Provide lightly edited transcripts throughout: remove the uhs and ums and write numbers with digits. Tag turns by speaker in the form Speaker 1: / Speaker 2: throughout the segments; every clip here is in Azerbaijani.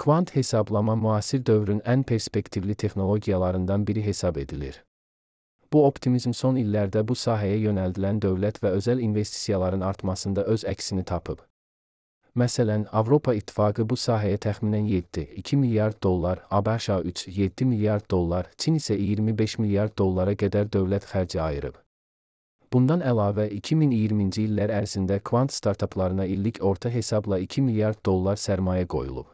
Speaker 1: Kvant hesablama müasir dövrün ən perspektivli texnologiyalarından biri hesab edilir. Bu optimizm son illərdə bu sahəyə yönəldilən dövlət və özəl investisiyaların artmasında öz əksini tapıb. Məsələn, Avropa İttifaqı bu sahəyə təxminən 7,2 milyard dollar, ABŞ 3,7 milyard dollar, Çin isə 25 milyard dollara qədər dövlət xərci ayırıb. Bundan əlavə, 2020-ci illər ərzində kvant startaplarına illik orta hesabla 2 milyard dollar sərmayə qoyulub.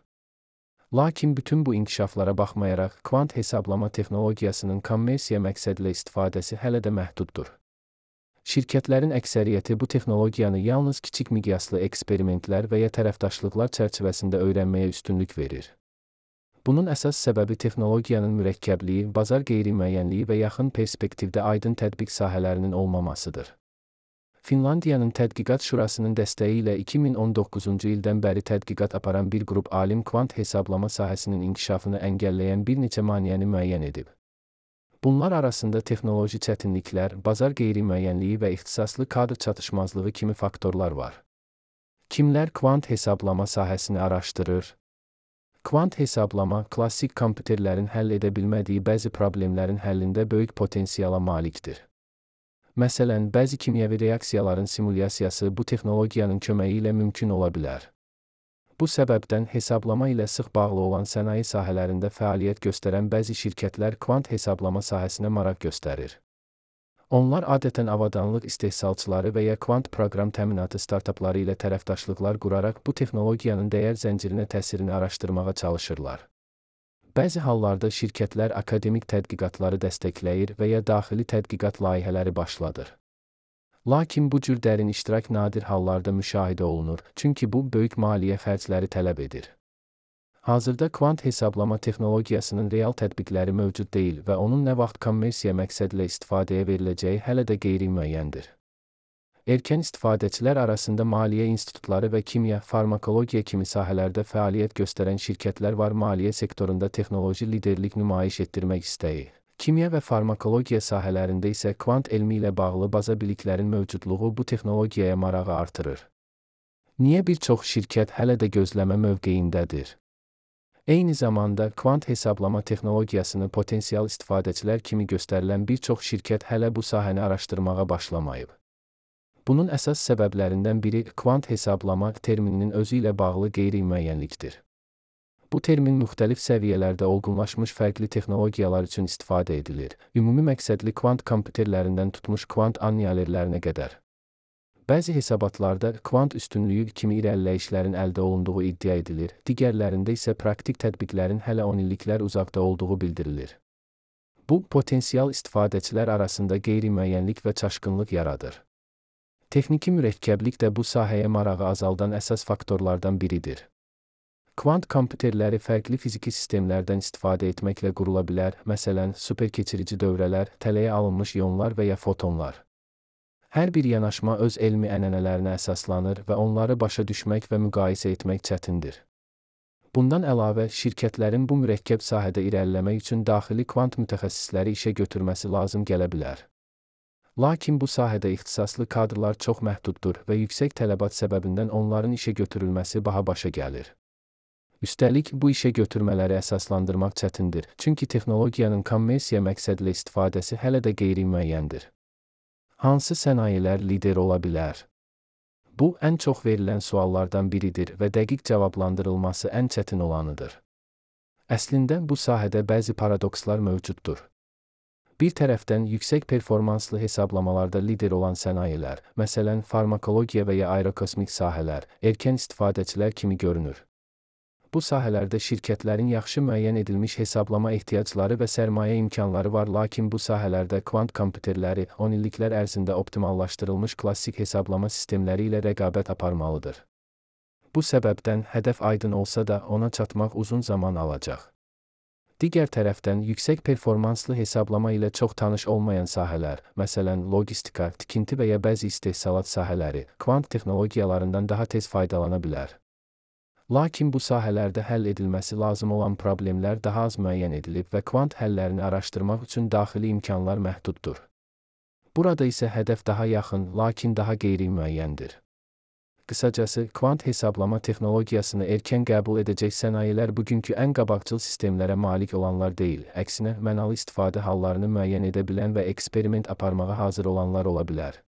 Speaker 1: Lakin bütün bu inkişaflara baxmayaraq, kvant hesablama texnologiyasının kommersiya məqsədlə istifadəsi hələ də məhduddur. Şirkətlərin əksəriyyəti bu texnologiyanı yalnız kiçik miqyaslı eksperimentlər və ya tərəfdaşlıqlar çərçivəsində öyrənməyə üstünlük verir. Bunun əsas səbəbi texnologiyanın mürəkkəbliyi, bazar qeyri-müəyyənliyi və yaxın perspektivdə aydın tətbiq sahələrinin olmamasıdır. Finlandiyanın Tədqiqat Şurasının dəstəyi ilə 2019-cu ildən bəri tədqiqat aparan bir qrup alim kvant hesablama sahəsinin inkişafını əngəlləyən bir neçə maneəni müəyyən edib. Bunlar arasında texnoloji çətinliklər, bazar qeyri-müəyyənliyi və ixtisaslı kadr çatışmazlığı kimi faktorlar var. Kimlər kvant hesablama sahəsini araşdırır? Kvant hesablama, klassik kompüterlərin həll edə bilmədiyi bəzi problemlərin həllində böyük potensiala malikdir. Məsələn, bəzi kimyəvi reaksiyaların simulyasiyası bu texnologiyanın köməyi ilə mümkün ola bilər. Bu səbəbdən hesablama ilə sıx bağlı olan sənaye sahələrində fəaliyyət göstərən bəzi şirkətlər kvant hesablama sahəsinə maraq göstərir. Onlar adətən avadanlıq istehsalçıları və ya kvant proqram təminatı startapları ilə tərəfdaşlıqlar quraraq bu texnologiyanın dəyər zəncirinə təsirini araşdırmağa çalışırlar. Bəzi hallarda şirkətlər akademik tədqiqatları dəstəkləyir və ya daxili tədqiqat layihələri başladır. Lakin bu cür dərin iştirak nadir hallarda müşahidə olunur, çünki bu böyük maliyyə xərcləri tələb edir. Hazırda kvant hesablama texnologiyasının real tətbiqləri mövcud deyil və onun nə vaxt kommersiya məqsədlə istifadəyə veriləcəyi hələ də qeyri-müəyyəndir. Erkən istifadəçilər arasında maliyyə institutları və kimya, farmakologiya kimi sahələrdə fəaliyyət göstərən şirkətlər var. Maliyyə sektorunda texnoloji liderlik nümayiş etdirmək istəyi. Kimya və farmakologiya sahələrində isə kvant elmi ilə bağlı baza biliklərin mövcudluğu bu texnologiyaya marağı artırır. Niyə bir çox şirkət hələ də gözləmə mövqeyindədir? Eyni zamanda, kvant hesablama texnologiyasını potensial istifadəçilər kimi göstərilən bir çox şirkət hələ bu sahəni araşdırmağa başlamayıb. Bunun əsas səbəblərindən biri kvant hesablama termininin özü ilə bağlı qeyri-müəyyənlikdir. Bu termin müxtəlif səviyyələrdə olgunlaşmış fərqli texnologiyalar üçün istifadə edilir. Ümumi məqsədli kvant kompüterlərindən tutmuş kvant annihilerlərinə qədər. Bəzi hesabatlarda kvant üstünlüyü kimi irəliləyişlərin əldə olunduğu iddia edilir, digərlərində isə praktik tətbiqlərin hələ 10 illiklər uzaqda olduğu bildirilir. Bu, potensial istifadəçilər arasında qeyri-müəyyənlik və çaşqınlıq yaradır. Texniki mürəkkəblik də bu sahəyə marağı azaldan əsas faktorlardan biridir. Kvant kompüterləri fərqli fiziki sistemlərdən istifadə etməklə qurula bilər, məsələn, superkeçirici dövrələr, tələyə alınmış ionlar və ya fotonlar. Hər bir yanaşma öz elmi ənənələrinə əsaslanır və onları başa düşmək və müqayisə etmək çətindir. Bundan əlavə, şirkətlərin bu mürəkkəb sahədə irəliləmək üçün daxili kvant mütəxəssisləri işə götürməsi lazım gələ bilər. Lakin bu sahədə ixtisaslı kadrlar çox məhduddur və yüksək tələbat səbəbindən onların işə götürülməsi baha başa gəlir. Üstəlik, bu işə götürmələri əsaslandırmaq çətindir, çünki texnologiyanın kommersiya məqsədlə istifadəsi hələ də qeyri-müəyyəndir. Hansı sənayilər lider ola bilər? Bu, ən çox verilən suallardan biridir və dəqiq cavablandırılması ən çətin olanıdır. Əslində, bu sahədə bəzi paradokslar mövcuddur. Bir tərəfdən yüksək performanslı hesablamalarda lider olan sənayilər, məsələn, farmakologiya və ya aerokosmik sahələr, erkən istifadəçilər kimi görünür. Bu sahələrdə şirkətlərin yaxşı müəyyən edilmiş hesablama ehtiyacları və sərmayə imkanları var, lakin bu sahələrdə kvant kompüterləri 10 illiklər ərzində optimallaşdırılmış klassik hesablama sistemləri ilə rəqabət aparmalıdır. Bu səbəbdən hədəf aydın olsa da ona çatmaq uzun zaman alacaq. Digər tərəfdən, yüksək performanslı hesablama ilə çox tanış olmayan sahələr, məsələn, logistika, tikinti və ya bəzi istehsalat sahələri, kvant texnologiyalarından daha tez faydalana bilər. Lakin bu sahələrdə həll edilməsi lazım olan problemlər daha az müəyyən edilib və kvant həllərini araşdırmaq üçün daxili imkanlar məhduddur. Burada isə hədəf daha yaxın, lakin daha qeyri-müəyyəndir. Qısacası, kvant hesablama texnologiyasını erkən qəbul edəcək sənayilər bugünkü ən qabaqcıl sistemlərə malik olanlar deyil, əksinə mənalı istifadə hallarını müəyyən edə bilən və eksperiment aparmağa hazır olanlar ola bilər.